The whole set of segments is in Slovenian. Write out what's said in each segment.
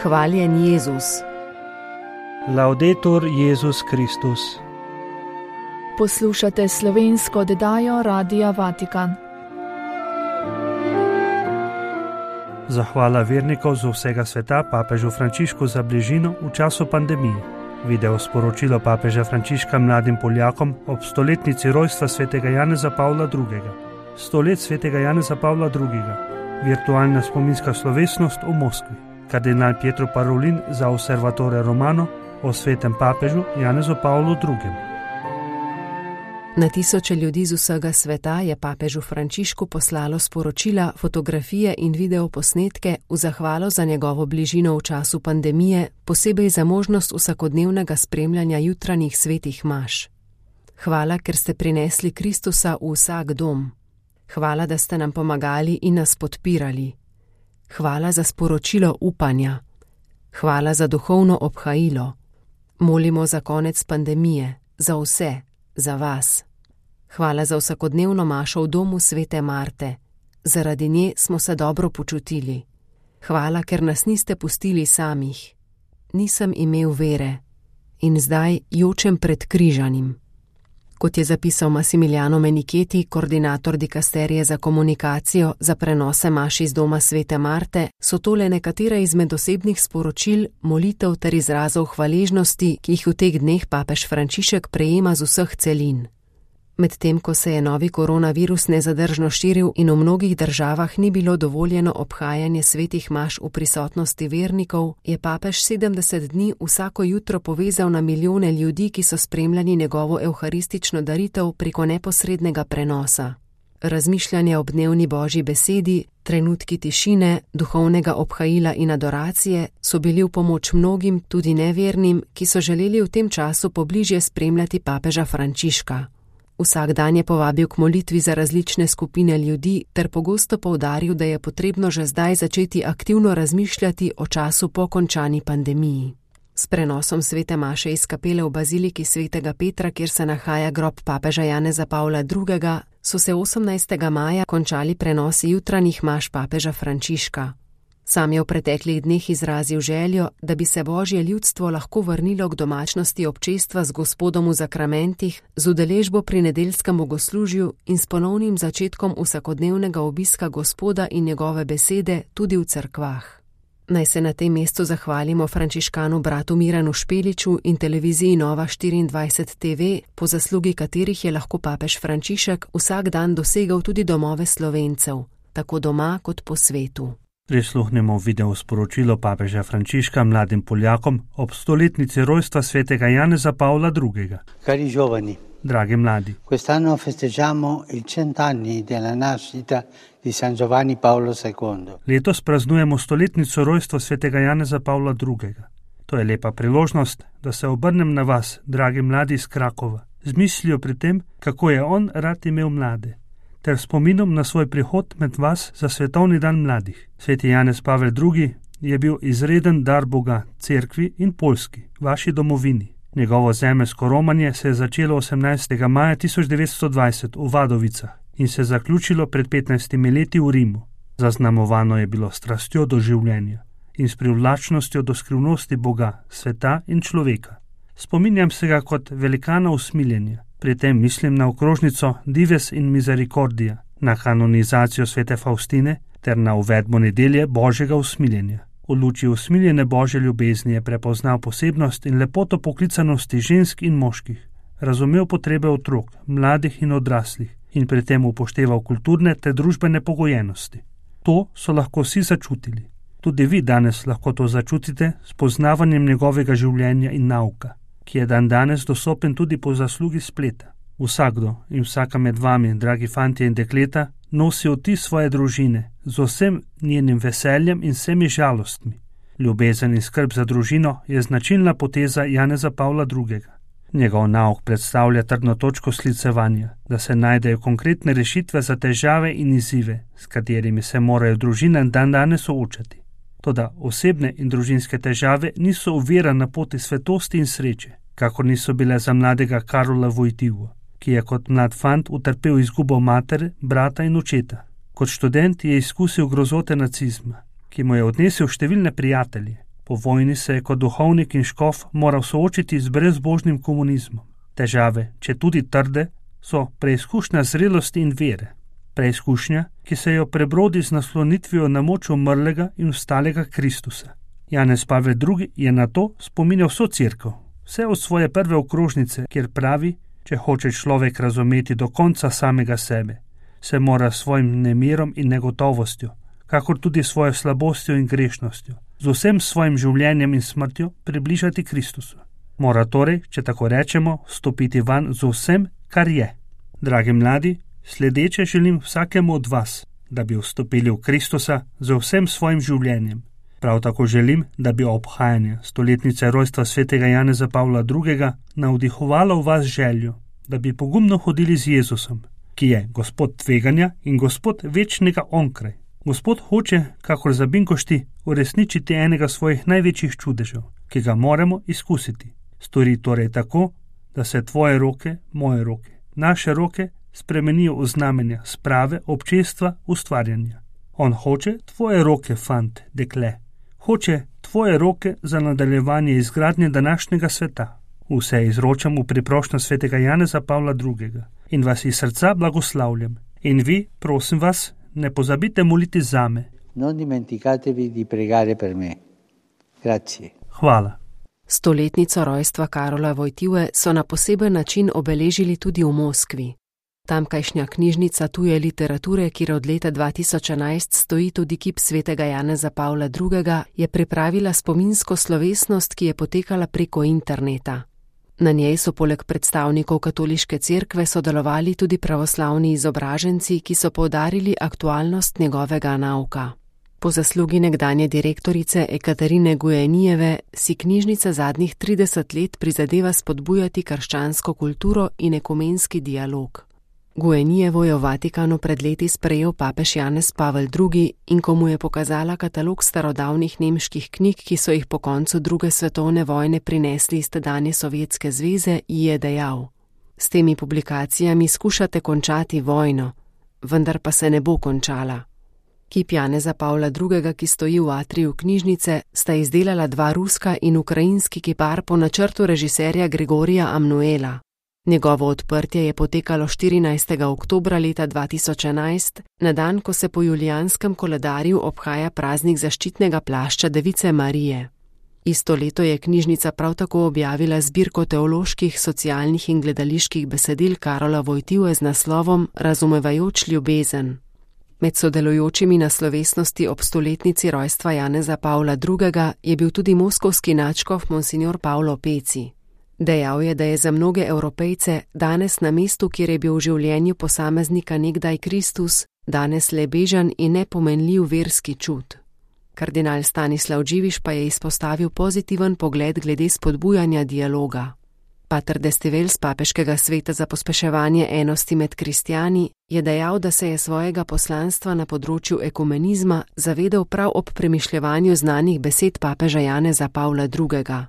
Hvaljen Jezus. Laudetur Jezus Kristus. Poslušate slovensko oddajo Radia Vatikan. Zahvala vernikov z vsega sveta papežu Frančišku za bližino v času pandemije. Video sporočilo papeža Frančiška mladim Poljakom ob stoletnici rojstva svetega Janeza Pavla II. 100 let svetega Janeza Pavla II. Virtualna spominska slovesnost v Moskvi. Kardinal Pietro Parolin za Osservatore Romano o svetem papežu Janezu Pavlu II. Na tisoče ljudi z vsega sveta je papežu Frančišku poslalo sporočila, fotografije in videoposnetke v zahvalo za njegovo bližino v času pandemije, posebej za možnost vsakodnevnega spremljanja jutranjih svetih maš. Hvala, ker ste prinesli Kristusa v vsak dom. Hvala, da ste nam pomagali in nas podpirali. Hvala za sporočilo upanja. Hvala za duhovno obhajilo. Molimo za konec pandemije, za vse, za vas. Hvala za vsakodnevno mašo v domu svete Marte. Zaradi nje smo se dobro počutili. Hvala, ker nas niste pustili samih. Nisem imel vere in zdaj jočem pred križanim. Kot je zapisal Massimiliano Menicheti, koordinator dikasterije za komunikacijo za prenose maš iz doma svete Marte, so tole nekatere izmed osebnih sporočil, molitev ter izrazov hvaležnosti, ki jih v teh dneh papež Frančišek prejema z vseh celin. Medtem ko se je novi koronavirus nezadržno širil in v mnogih državah ni bilo dovoljeno obhajanje svetih maš v prisotnosti vernikov, je papež 70 dni vsako jutro povezal na milijone ljudi, ki so spremljali njegovo evharistično daritev preko neposrednega prenosa. Razmišljanje ob dnevni Božji besedi, trenutki tišine, duhovnega obhajila in adoracije so bili v pomoč mnogim, tudi nevernim, ki so želeli v tem času pobližje spremljati papeža Frančiška. Vsak dan je povabil k molitvi za različne skupine ljudi ter pogosto poudaril, da je potrebno že zdaj začeti aktivno razmišljati o času po končani pandemiji. S prenosom svete maše iz kapele v baziliki svetega Petra, kjer se nahaja grob papeža Janeza Pavla II., so se 18. maja končali prenosi jutranjih maš papeža Frančiška. Sam je v preteklih dneh izrazil željo, da bi se Božje ljudstvo lahko vrnilo k domačnosti občestva z Gospodom v zakramentih, z udeležbo pri nedeljskem bogoslužju in s ponovnim začetkom vsakodnevnega obiska Gospoda in njegove besede tudi v cerkvah. Naj se na tem mestu zahvalimo frančiškanu bratu Miranu Špeliču in televiziji Nova 24 TV, po zaslugi katerih je lahko papež Frančišek vsak dan dosegal tudi domove Slovencev, tako doma kot po svetu. Prisluhnemo video sporočilo papeža Frančiška mladim Poljakom ob stoletnici rojstva svetega Janeza Pavla II. Cari giovani, dragi mladi, quest'anno festeggiamo il 100 anni della nascita di San Giovanni Paolo II. Letos praznujemo stoletnico rojstva svetega Janeza Pavla II. To je lepa priložnost, da se obrnem na vas, dragi mladi iz Krakova, z mislijo pri tem, kako je on rad imel mlade, ter spominom na svoj prihod med vas za svetovni dan mladih. Sveti Janez Pavel II. Je bil izreden dar Boga, cerkvi in Poljski, vaši domovini. Njegovo zemeljsko romanje se je začelo 18. maja 1920 v Vadovicah in se zaključilo pred 15 leti v Rimu. Zaznamovano je bilo strastjo do življenja in s privlačnostjo do skrivnosti Boga, sveta in človeka. Spominjam se ga kot velikana usmiljenja. Pri tem mislim na okrožnico Dives in Misericordia, na kanonizacijo svete Faustine ter na uvedbo nedelje Božjega usmiljenja. V luči usmiljene Božje ljubezni je prepoznal posebnost in lepoto poklicanosti žensk in moških, razumel potrebe otrok, mladih in odraslih in pri tem upošteval kulturne ter družbene pogojenosti. To so lahko vsi začutili. Tudi vi danes lahko to začutite s poznavanjem njegovega življenja in nauka, ki je danes dostopen tudi po zaslugi spleta. Vsakdo in vsaka med vami, dragi fantje in dekleta, nosi vtis svoje družine z vsem njenim veseljem in vsemi žalostmi. Ljubezen in skrb za družino je značilna poteza Janeza Pavla II. Njegov nauk predstavlja trdno točko sklicevanja, da se najdejo konkretne rešitve za težave in izzive, s katerimi se morajo družine danes soočati. Toda osebne in družinske težave niso ovira na poti svetosti in sreče, kakor niso bile za mladega Karola Wojtyłę, ki je kot mlad fant utrpel izgubo matere, brata in očeta. Kot študent je izkusil grozote nacizma, ki mu je odnesel številne prijatelje, Po vojni se je kot duhovnik in škof moral soočiti z brezbožnim komunizmom. Težave, če tudi trde, so preizkušnja zrelosti in vere. Preizkušnja, ki se jo prebrodi z naslonitvijo na moč umrlega in vstalega Kristusa. Janez Pavel II. Je na to spominjal vso cerkev, vse od svoje prve okrožnice, kjer pravi, če hoče človek razumeti do konca samega sebe, se mora svojim nemirom in negotovostjo, kakor tudi svojo slabostjo in grešnostjo, z vsem svojim življenjem in smrtjo približati Kristusu. Mora torej, če tako rečemo, stopiti van z vsem, kar je. Dragi mladi, sledeče želim vsakemu od vas, da bi vstopili v Kristusa z vsem svojim življenjem. Prav tako želim, da bi obhajanje stoletnice rojstva svetega Janeza Pavla II. Navdihovalo v vas željo, da bi pogumno hodili z Jezusom, ki je Gospod tveganja in Gospod večnega onkraj. Gospod hoče, kakor za binkošti, uresničiti enega svojih največjih čudežev, ki ga moramo izkusiti. Stori torej tako, da se tvoje roke, moje roke, naše roke spremenijo v znamenja sprave, občestva, ustvarjanja. On hoče tvoje roke, fant, dekle. Hoče tvoje roke za nadaljevanje izgradnje današnjega sveta. Vse izročam v priprošnjo svetega Janeza Pavla II. In vas iz srca blagoslavljam. In vi, prosim vas, ne pozabite moliti zame. Non dimenticatevi di pregare per me. Grazie. Hvala. Stoletnico rojstva Karola Wojtyły so na poseben način obeležili tudi v Moskvi. Tamkajšnja knjižnica tuje literature, kjer od leta 2011 stoji tudi kip svetega Janeza Pavla II., je pripravila spominsko slovesnost, ki je potekala preko interneta. Na njej so poleg predstavnikov katoliške cerkve sodelovali tudi pravoslavni izobraženci, ki so poudarili aktualnost njegovega nauka. Po zaslugi nekdanje direktorice Ekaterine Gujenijeve si knjižnica zadnjih 30 let prizadeva spodbujati krščansko kulturo in ekumenski dialog. Gujenijevo je v Vatikanu pred leti sprejel papež Janez Pavel II. In ko mu je pokazala katalog starodavnih nemških knjig, ki so jih po koncu druge svetovne vojne prinesli iz tedanje Sovjetske zveze, ji je dejal: S temi publikacijami skušate končati vojno, vendar pa se ne bo končala. Kip Janeza Pavla II., ki stoji v atriju knjižnice, sta izdelala dva ruska in ukrajinski kipar po načrtu režiserja Grigorija Amnuela. Njegovo odprtje je potekalo 14. oktobra leta 2011, na dan, ko se po julijanskem koledarju obhaja praznik zaščitnega plašča Device Marije. Isto leto je knjižnica prav tako objavila zbirko teoloških, socialnih in gledaliških besedil Karola Wojtyły z naslovom Razumevajoč ljubezen. Med sodelujočimi na slovesnosti ob stoletnici rojstva Janeza Pavla II. Je bil tudi moskovski nadškof monsignor Pavlo Peci. Dejal je, da je za mnoge Evropejce danes na mestu, kjer je bil v življenju posameznika nekdaj Kristus, danes le bežen in nepomenljiv verski čut. Kardinal Stanislav Dživiš pa je izpostavil pozitiven pogled glede spodbujanja dialoga. Pater Destivel z papeškega sveta za pospeševanje enosti med kristjani je dejal, da se je svojega poslanstva na področju ekumenizma zavedal prav ob premišljevanju znanih besed papeža Janeza Pavla II.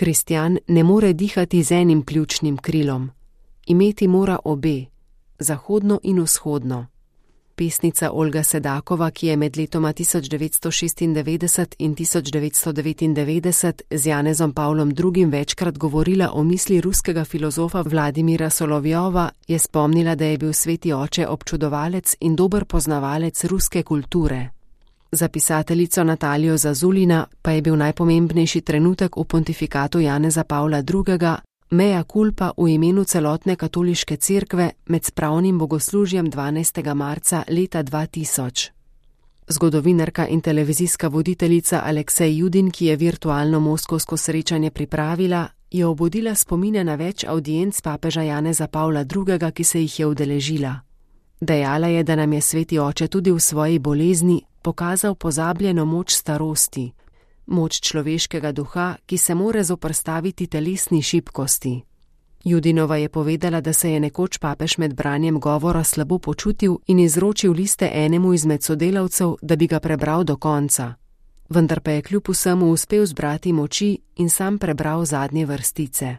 Kristjan ne more dihati z enim pljučnim krilom. Imeti mora obe, zahodno in vzhodno. Pesnica Olga Sedakova, ki je med letoma 1996 in 1999 z Janezom Pavlom II. Večkrat govorila o misli ruskega filozofa Vladimira Solovjova, je spomnila, da je bil sveti oče občudovalec in dober poznavalec ruske kulture. Za pisateljico Natalijo Zazulina pa je bil najpomembnejši trenutek v pontifikatu Janeza Pavla II. Mea culpa v imenu celotne katoliške cerkve med spravnim bogoslužjem 12. marca leta 2000. Zgodovinarka in televizijska voditeljica Aleksej Judin, ki je virtualno moskovsko srečanje pripravila, je obudila spomine na več avdienc papeža Janeza Pavla II., ki se jih je udeležila. Dejala je, da nam je sveti oče tudi v svoji bolezni pokazal pozabljeno moč starosti, moč človeškega duha, ki se more zoprstaviti telesni šibkosti. Judinova je povedala, da se je nekoč papež med branjem govora slabo počutil in izročil liste enemu izmed sodelavcev, da bi ga prebral do konca. Vendar pa je kljub vsemu uspel zbrati moči in sam prebral zadnje vrstice.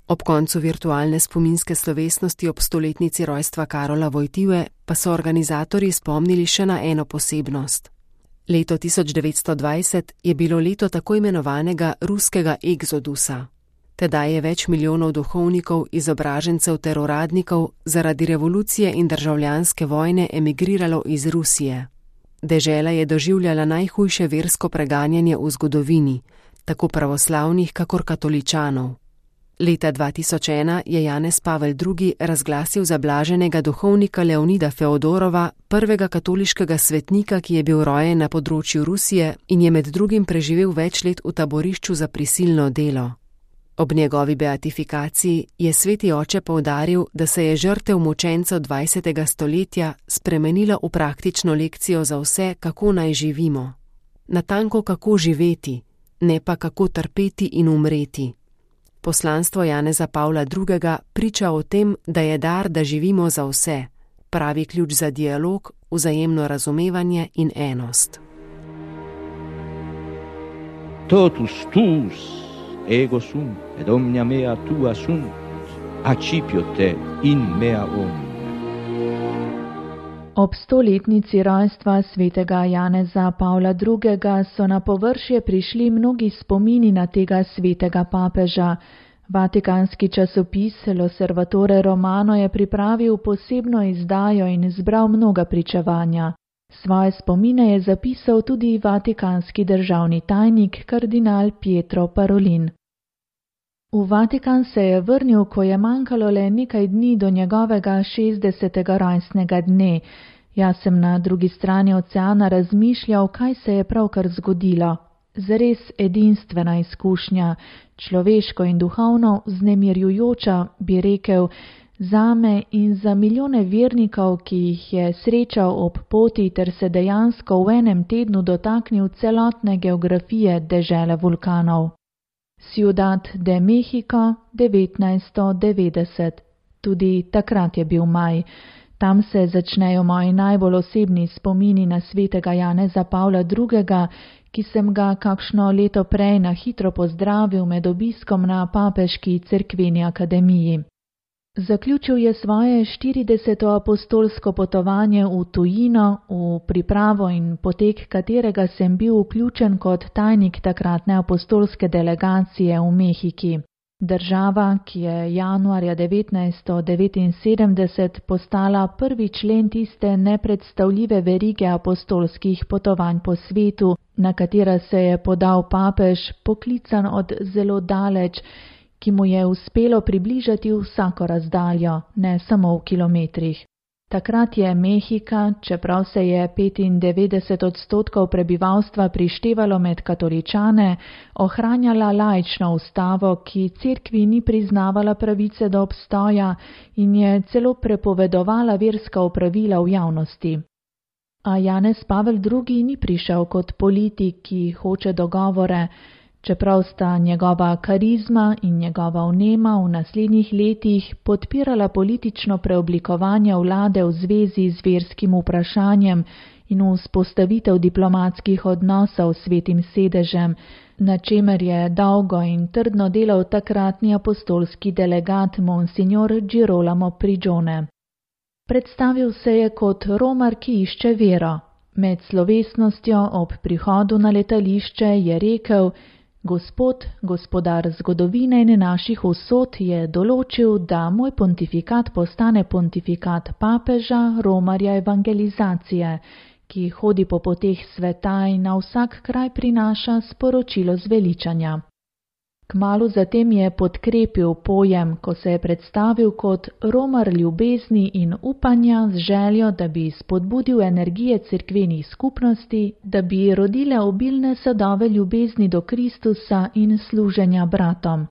Ob koncu virtualne spominske slovesnosti ob stoletnici rojstva Karola Wojtyły pa so organizatorji spomnili še na eno posebnost. Leto 1920 je bilo leto tako imenovanega ruskega egzodusa. Tedaj je več milijonov duhovnikov, izobražencev ter uradnikov zaradi revolucije in državljanske vojne emigriralo iz Rusije. Dežela je doživljala najhujše versko preganjanje v zgodovini, tako pravoslavnih kakor katoličanov. Leta 2001 je Janez Pavel II. Razglasil za blaženega duhovnika Leonida Feodorova, prvega katoliškega svetnika, ki je bil rojen na področju Rusije in je med drugim preživel več let v taborišču za prisilno delo. Ob njegovi beatifikaciji je sveti oče poudaril, da se je žrtev mučencev 20. stoletja spremenila v praktično lekcijo za vse, kako naj živimo. Natanko kako živeti, ne pa kako trpeti in umreti. Poslanstvo Janeza Pavla II. Priča o tem, da je dar, da živimo za vse, pravi ključ za dialog, vzajemno razumevanje in enost. Totus tuus ego sum, et omnia mea tua sunt, accipio te in mea omnia. Ob 100-letnici rojstva svetega Janeza Pavla II. So na površje prišli mnogi spomini na tega svetega papeža. Vatikanski časopis L'Osservatore Romano je pripravil posebno izdajo in zbral mnoga pričevanja. Svoje spomine je zapisal tudi vatikanski državni tajnik kardinal Pietro Parolin. V Vatikan se je vrnil, ko je manjkalo le nekaj dni do njegovega 60. rojstnega dne. Jaz sem na drugi strani oceana razmišljal, kaj se je pravkar zgodilo. Zares edinstvena izkušnja, človeško in duhovno vznemirjujoča, bi rekel, zame in za milijone vernikov, ki jih je srečal ob poti ter se dejansko v enem tednu dotaknil celotne geografije dežele vulkanov. Ciudad de México 1990. Tudi takrat je bil maj. Tam se začnejo moji najbolj osebni spomini na svetega Janeza Pavla II., ki sem ga kakšno leto prej na hitro pozdravil med obiskom na Papeški cerkveni akademiji. Zaključil je svoje 40. apostolsko potovanje v tujino, v pripravo in potek katerega sem bil vključen kot tajnik takratne apostolske delegacije v Mehiki. Država, ki je januarja 1979 postala prvi člen tiste nepredstavljive verige apostolskih potovanj po svetu, na katera se je podal papež, poklican od zelo daleč, ki mu je uspelo približati vsako razdaljo, ne samo v kilometrih. Takrat je Mehika, čeprav se je 95% prebivalstva prištevalo med katoličane, ohranjala laično ustavo, ki cerkvi ni priznavala pravice do obstoja in je celo prepovedovala verska opravila v javnosti. A Janez Pavel II. Ni prišel kot politik, ki hoče dogovore, čeprav sta njegova karizma in njegova vnema v naslednjih letih podpirala politično preoblikovanje vlade v zvezi z verskim vprašanjem in vzpostavitev diplomatskih odnosov s Svetim sedežem, na čemer je dolgo in trdno delal takratni apostolski delegat Monsignor Girolamo Prigione. Predstavil se je kot romar, ki išče vero. Med slovesnostjo ob prihodu na letališče je rekel: Gospod, gospodar zgodovine in naših usod je določil, da moj pontifikat postane pontifikat papeža, romarja evangelizacije, ki hodi po poteh sveta in na vsak kraj prinaša sporočilo zveličanja. Kmalu zatem je podkrepil pojem, ko se je predstavil kot romar ljubezni in upanja z željo, da bi spodbudil energije cerkvenih skupnosti, da bi rodile obilne sadove ljubezni do Kristusa in služenja bratom.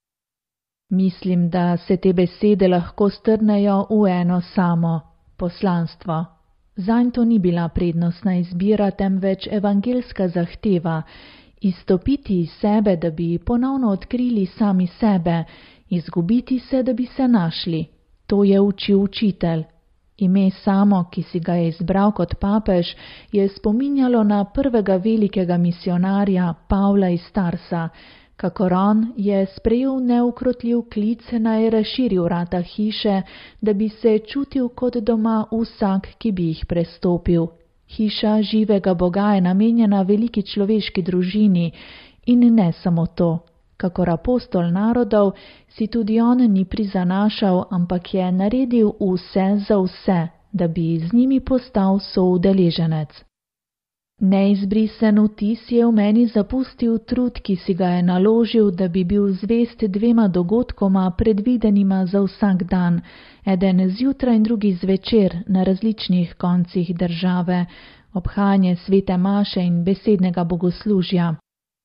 Mislim, da se te besede lahko strnejo v eno samo: poslanstvo. Zanj to ni bila prednostna izbira, temveč evangelska zahteva, izstopiti iz sebe, da bi ponovno odkrili sami sebe, izgubiti se, da bi se našli. To je učil učitelj. Ime samo, ki si ga je izbral kot papež, je spominjalo na prvega velikega misionarja Pavla iz Tarsa. Kakor on je sprejel neukrotljiv klic, naj razširi vrata hiše, da bi se čutil kot doma vsak, ki bi jih prestopil. Hiša živega Boga je namenjena veliki človeški družini in ne samo to. Kakor apostol narodov si tudi on ni prizanašal, ampak je naredil vse za vse, da bi z njimi postal soudeleženec. Neizbrisen vtis je v meni zapustil trud, ki si ga je naložil, da bi bil zvest dvema dogodkoma predvidenima za vsak dan, eden zjutraj in drugi zvečer na različnih koncih države, obhajanje svete maše in besednega bogoslužja.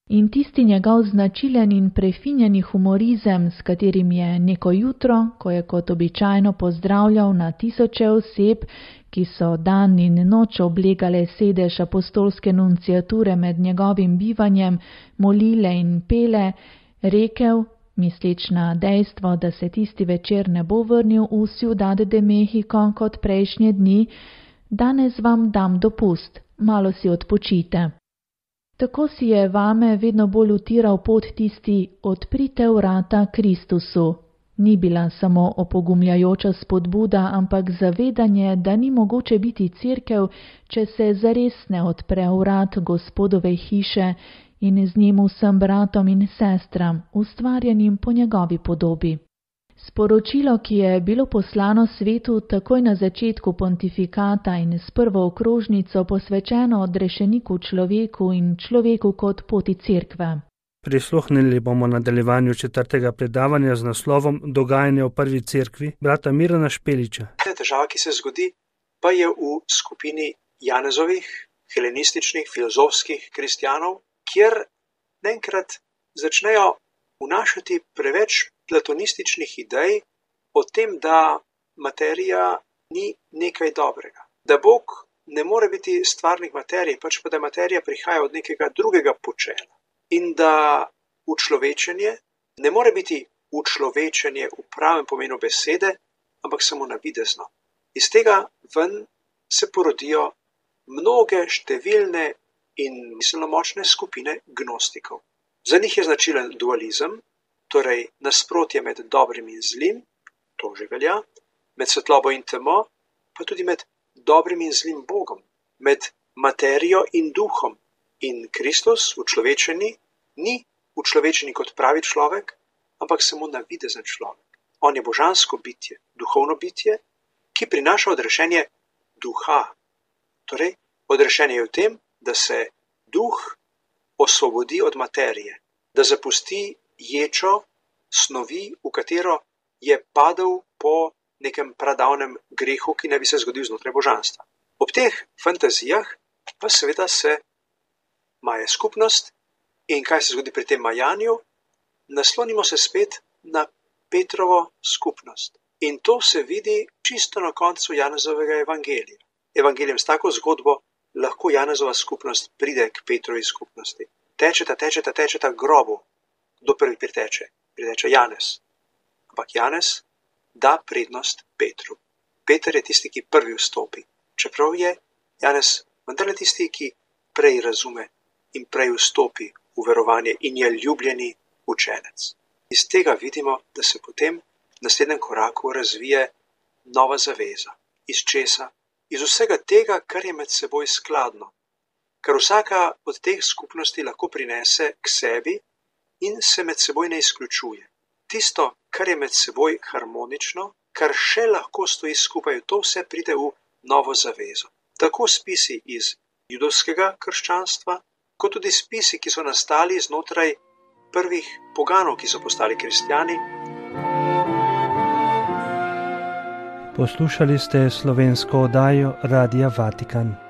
In tisti njegov značilen in prefinjeni humorizem, s katerim je neko jutro, ko je kot običajno pozdravljal na tisoče oseb, ki so dan in noč oblegale sedež apostolske nunciature med njegovim bivanjem, molile in pele, rekel, misleč na dejstvo, da se tisti večer ne bo vrnil v Ciudad de Mexico kot prejšnje dni, danes vam dam dopust, malo si odpočite. Tako si je vame vedno bolj utiral pot tisti odprite vrata Kristusu. Ni bila samo opogumljajoča spodbuda, ampak zavedanje, da ni mogoče biti cerkev, če se zares ne odpre vrat Gospodove hiše in z njim vsem bratom in sestram, ustvarjenim po njegovi podobi. Sporočilo, ki je bilo poslano svetu takoj na začetku pontifikata in s prvo okrožnico posvečeno odrešeniku človeku in človeku kot poti cerkve. Prisluhnili bomo nadaljevanju 4. predavanja z naslovom Dogajanje v prvi cerkvi brata Mirana Špeliča. Težava, ki se zgodi, pa je v skupini Janezovih, helenističnih, filozofskih kristjanov, kjer naenkrat začnejo vnašati preveč platonističnih idej o tem, da materija ni nekaj dobrega. Da Bog ne more biti stvarnik materije, pač pa da materija prihaja od nekega drugega počela. In da učlovečenje ne more biti učlovečenje v pravem pomenu besede, ampak samo navidezno. Iz tega ven se porodijo mnoge številne in miselno močne skupine gnostikov. Za njih je značilen dualizem, torej nasprotje med dobrim in zlim, to že velja, med svetlobo in temo, pa tudi med dobrim in zlim Bogom, med materijo in duhom. In Kristus, učlovečeni, ni učlovečeni kot pravi človek, ampak samo navidezen človek. On je božansko bitje, duhovno bitje, ki prinaša odrešenje duha. Torej, odrešenje je v tem, da se duh osvobodi od materije, da zapusti ječo snovi, v katero je padel po nekem pradavnem grehu, ki ne bi se zgodil znotraj božanstva. Ob teh fantazijah pa seveda se maje skupnost in kaj se zgodi pri tem majanju? Naslonimo se spet na Petrovo skupnost. In to se vidi čisto na koncu Janezovega evangelija. Evangelijem s tako zgodbo lahko Janezova skupnost pride k Petrovi skupnosti. Tečeta grobu. Kdo prvi priteče? Priteče Janez. Ampak Janez da prednost Petru. Peter je tisti, ki prvi vstopi. Čeprav je Janez vendarle tisti, ki prej razume in prej vstopi v verovanje in je ljubljeni učenec. Iz tega vidimo, da se potem v naslednjem koraku razvije nova zaveza. Iz česa? Iz vsega tega, kar je med seboj skladno. Kar vsaka od teh skupnosti lahko prinese k sebi in se med seboj ne izključuje. Tisto, kar je med seboj harmonično, kar še lahko stoji skupaj, to vse pride v novo zavezo. Tako spisi iz judovskega krščanstva, kot tudi spisi, ki so nastali znotraj prvih poganov, ki so postali kristjani. Poslušali ste slovensko oddajo Radia Vatikan.